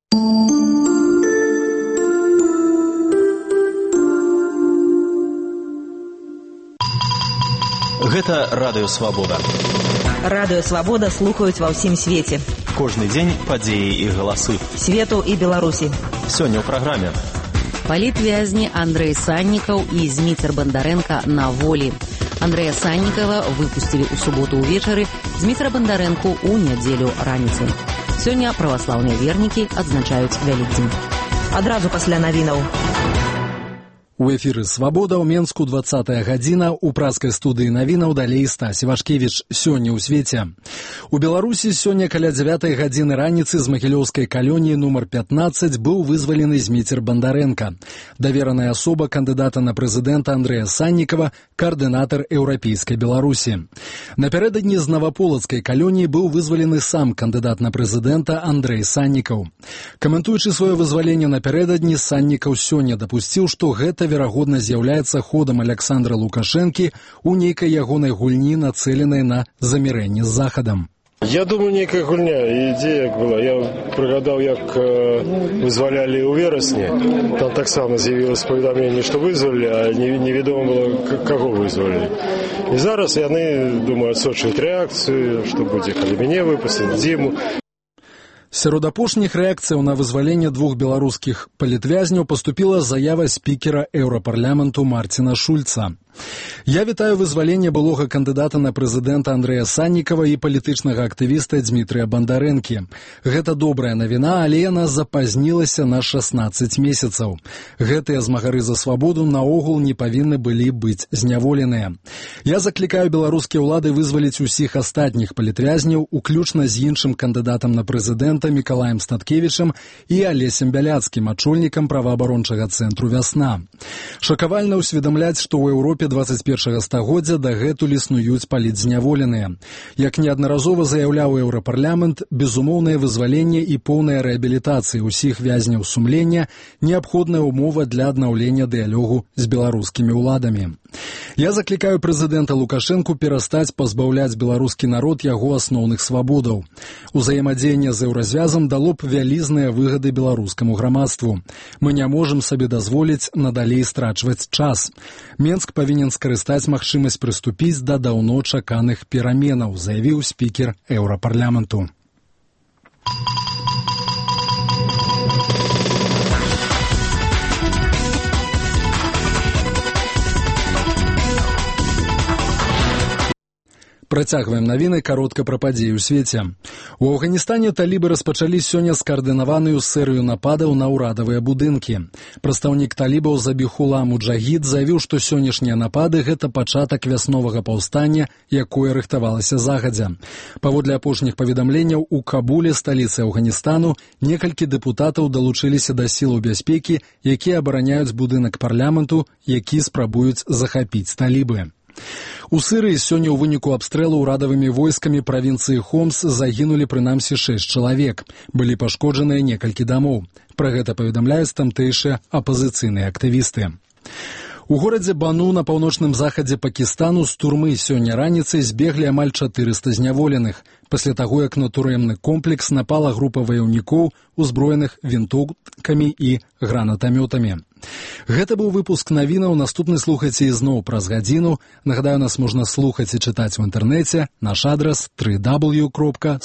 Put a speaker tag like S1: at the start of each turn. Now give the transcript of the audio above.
S1: Гэта Радыё Свабода.
S2: Радыё Свабода слухаюць ва ўсім свеце.
S1: Кожны дзень падзеі і галасы
S2: Свету і Беларусі.
S1: Сёння ў праграме.
S3: Палітвязні Андрэй Саннікаў і Зміцер Бандарэнка на волі. Андрэя Саннікава выпусцілі ў суботу ўвечары, Зміцера Бандарэнку ў нядзелю раніцай. Сёння праваслаўныя вернікі адзначаюць Вялікдзень.
S2: Адразу пасля навінаў.
S4: У эфіры «Свабода» ў Менску 20-я гадзіна, у праскай студыі навінаў далей Стась Івашкевіч. Сёння ў свеце. У Беларусі сёння каля 9-й гадзіны раніцы з магілёўскай калоніі нумар 15 быў вызвалены Зміцер Бандарэнка. Давераная асоба кандыдата на прэзідэнта Андрэя Саннікава, каардынатар еўрапейскай Беларусі. Напярэдадні з наваполацкай калоніі быў вызвалены сам кандыдат на прэзідэнта Андрэй Саннікаў. Каментуючы сваё вызваленне напярэдадні, Саннікаў сёння дапусціў, што гэта верагодна з'яўляецца ходам Аляксандра Лукашэнкі у нейкай ягонай гульні, нацэленай на замірэнне з Захадам.
S5: Я думаю, нейкая гульня, ідзея была. Я прыгадаў, як вызвалялі ў верасні. Там таксама з'явілася паведамленне, што вызвалілі, а невядома было, каго вызвалілі. І зараз яны, думаю, адсочваюць рэакцыю, што будзе, калі мяне выпусцяць, Дзіму.
S4: Сярод апошніх рэакцыяў на вызваленне двух беларускіх палітвязняў паступіла заява спікера еўрапарламенту Марціна Шульца. Я вітаю вызваленне былога кандыдата на прэзідэнта Андрэя Саннікава і палітычнага актывіста Дзмітрыя Бандарэнкі. Гэта добрая навіна, але яна запазнілася на 16 месяцаў. Гэтыя змагары за свабоду наогул не павінны былі быць зняволеныя. Я заклікаю беларускія ўлады вызваліць усіх астатніх палітвязняў, уключна з іншым кандыдатам на прэзідэнта Мікалаем Статкевічам і Алесем Бяляцкім, ачольнікам праваабарончага цэнтру «Вясна». Шакавальна ўсведамляць, што ў Еўропе 21 стагоддзя дагэтуль існуюць палітзняволеныя. Як неаднаразова заяўляў еўрапарламент, безумоўнае вызваленне і поўная рэабілітацыя ўсіх вязняў сумлення неабходная ўмова для аднаўлення дыялогу з беларускімі ўладамі. Я заклікаю прэзідэнта Лукашэнку перастаць пазбаўляць беларускі народ яго асноўных свабодаў. Узаемадзеянне з еўразвязам дало б вялізныя выгады беларускаму грамадству. Мы не можам сабе дазволіць надалей страчваць час. Менск павінен скарыстаць магчымасць прыступіць да даўно чаканых пераменаў, заявіў спікер еўрапарламенту. Працягваем навіны, каротка пра падзеі ў свеце. У Афганістане талібы распачалі сёння скаардынаваную серыю нападаў на ўрадавыя будынкі. Прадстаўнік талібаў Забіхула Муджагід заявіў, што сённяшнія напады – гэта пачатак вясновага паўстання, якое рыхтавалася загадзя. Паводле апошніх паведамленняў, у Кабуле, сталіцы Афганістану, некалькі дэпутатаў далучыліся да сілаў бяспекі, якія абараняюць будынак парламенту, які спрабуюць захапіць талібы. У Сырыі сёння ў выніку абстрэлу ўрадавымі войскамі правінцыі Хомс загінулі прынамсі 6 чалавек. Былі пашкоджаныя некалькі дамоў. Пра гэта паведамляюць тамтэйшыя апазіцыйныя актывісты. У горадзе Бану на паўночным захадзе Пакістану з турмы сёння раніцай збеглі амаль 400 зняволеных, пасля таго, як на турэмны комплекс напала група ваяўнікоў, узброеных вінтоўкамі і гранатамётамі. Гэта быў выпуск навінаў, наступны слухайце ізноў праз гадзіну. Нагадаю, нас можна слухаць і чытаць у інтэрнэце. Наш адрас www.swabodna.org.